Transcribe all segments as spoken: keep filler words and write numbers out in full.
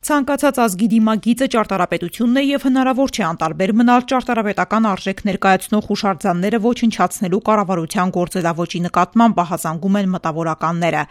Ցանկացած ազգի դիմագիծը ճարտարապետությունն է եւ հնարավոր չէ անտարբեր մնալ ճարտարապետական արժեք ներկայացնող հուշարձանները ոչնչացնելու կառավարության գործելավոճի նկատմամբ, ահազանգում են մտավորականները։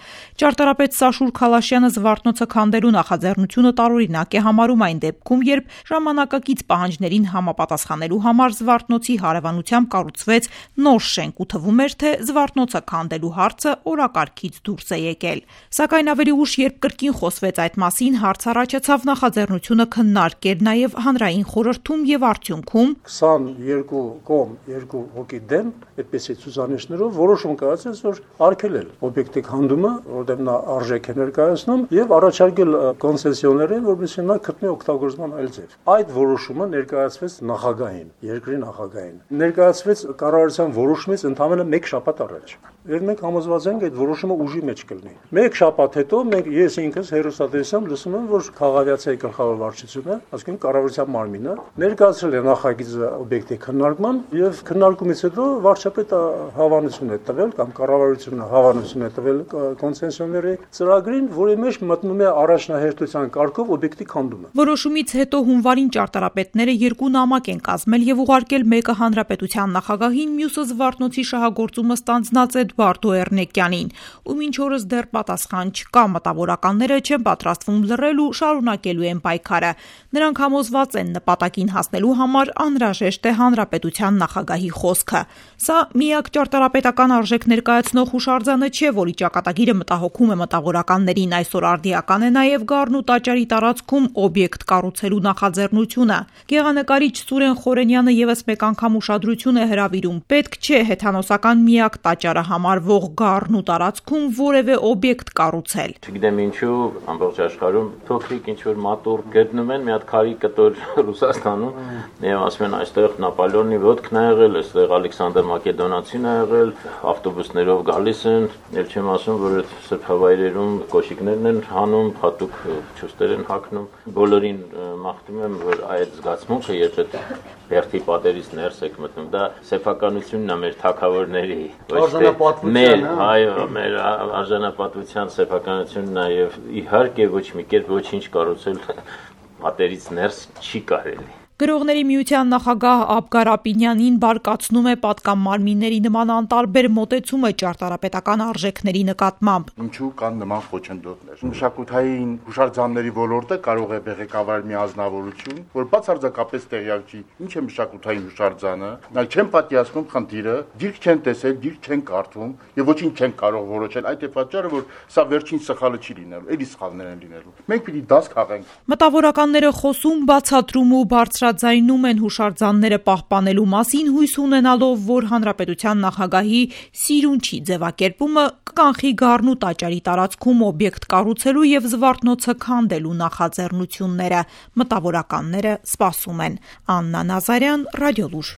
Ճարտարապետ Սաշուր Քալաշյանը Զվարթնոցը քանդելու նախաձեռնությունը տարօրինակ է համարում այն դեպքում, երբ ժամանակակից պահանջներին համապատասխանելու համար Զվարթնոցի հարևանությամբ կառուցվեց նոր շենք ու թվում էր, թե Զվարթնոցը քանդելու հարցը օրակարգից դուրս է եկել։ Սակայն ավելի ուշ, երբ կրկին խոսվեց այդ մասին, հարց առաջացավ նախաձեռնությունը քննարկել նաև հանրային խորհրդում եւ արդյունքում քսաներկու կողմ երկու հոգի դեմ այդպիսի ցուցանիշներով որոշում կայացեց, որ արգելել օբյեկտի քանդումը, որտեղ նա արժեք է ներկայացնում, եւ առաջարկել կոնցեսիոներին, որպեսզի նա գտնի օգտագործման այլ ձև։ Այդ որոշումը ներկայացվեց նախագահին, երկրի նախագահին։ Ներկայացվեց կառավարության որոշումից ընդամենը մեկ շաբաթ առաջ։ Եվ մենք համոզված ենք այդ որոշումը ուժի մեջ կլինի։ Մեկ շաբաթ հետո մենք ես ինքս հերոստատեսությամբ լսում եմ, որ քաղաքացիայի գլխավոր վարչությունը, ասում կառավարության մարմինը ներկայացրել է նախագիծը օբյեկտի քննարկման եւ քննարկումից հետո վարչապետը հավանություն է տվել կամ կառավարությունը հավանություն է տվել կոնցեսիոների ծրագրին, որի մեջ մտնում է առաջնահերթության կարգով օբյեկտի քանդումը։ Որոշումից հետո հունվարին ճարտարապետները երկու նամակ են կազմել եւ ուղարկել մեկը հանրապետության նախագահին, մյուսը Զվարթնոցի շահագործումը ստանձնած Էդվարդո Էռնեկյանին, ու մինչ օրս դեռ պատասխան չկա, մտավորականները չեն պատրաստվում լռել ու շարունակելու են պայքարը։ Նրանք համոզված են, նպատակին հասնելու համար անհրաժեշտ է հանրապետության նախագահի խոսքը։ Սա միակ ճարտարապետական արժեք ներկայացնող հուշարձանը չէ, որի ճակատագիրը մտահոգում է մտավորականներին, այսօր արդիական է նաև Գառնու տաճարի տարածքում օբյեկտ կառուցելու նախաձեռնությունը։ Գեղանկարիչ Սուրեն Խորենյանը եւս մեկ անգամ ուշադրություն է հրավիրում. պետք չէ հեթանոսական միակ տաճարը համարվող Գառնու տարածքում որևէ օբյեկտ կառուցել։ Չգիտեմ ինչու ամբողջ աշխարհում փոքրիկ ինչ-որ մատուռ գտնում են, մի հատ քարի կտոր Ռուսաստանում, եւ ասում են այստեղ Նապոլեոնի ոտքն է եղել, այստեղ Ալեքսանդր Մակեդոնացին է եղել, ավտոբուսներով գալիս են, եւ չեմ ասում, որ այդ սրբավայրերում կոշիկներն են հանում, հատուկ ճուստեր են հագնում։ Բոլորին մաղթում եմ, որ այդ զգացմունքը, երբ այդ բերդի պատերից ներս եք մտնում, դա սեփականությունն է մեր թագավորների, ոչ թե մեր, այո, մեր արժանապատվության սեփականությունն է, եւ իհարկե ոչ մի կերպ ոչինչ կառուցել պատերից ներս չի կարելի։ Գրողների միության նախագահ Աբգար Ապինյանին բարկացնում է պատկանմարմինների նման անտարբեր մոտեցումը ճարտարապետական արժեքների նկատմամբ։ Ինչու կան նման խոչընդոտներ։ Մշակութային հուշարձանների ոլորտը կարող է բեղեկավարել մի ազնվորություն, որ բացարձակապես տեղյակ չի, ինչ է մշակութային հուշարձանը, այլ չեն պատկերացնում խնդիրը, դիրք չեն տեսել, դիրք չեն կարդում եւ ոչինչ չեն կարող որոշել։ Այդ է պատճառը, որ սա վերջին սխալը չի լինելու, էլի սխալներ են լինելու։ Մենք պիտի դաս քաղենք։ Մտավորականները խոսում, բացատրում ու բարձրաձայնում են հուշարձանները պահպանելու մասին, հույս ունենալով, որ հանրապետության նախագահի սիրունչի ձևակերպումը կկանխի Գառնու տաճարի տարածքում օբյեկտ կառուցելու եւ Զվարթնոցը քանդելու նախաձեռնությունները։ Մտավորականները սպասում են։ Աննա Նազարյան, Ռադիոլուր։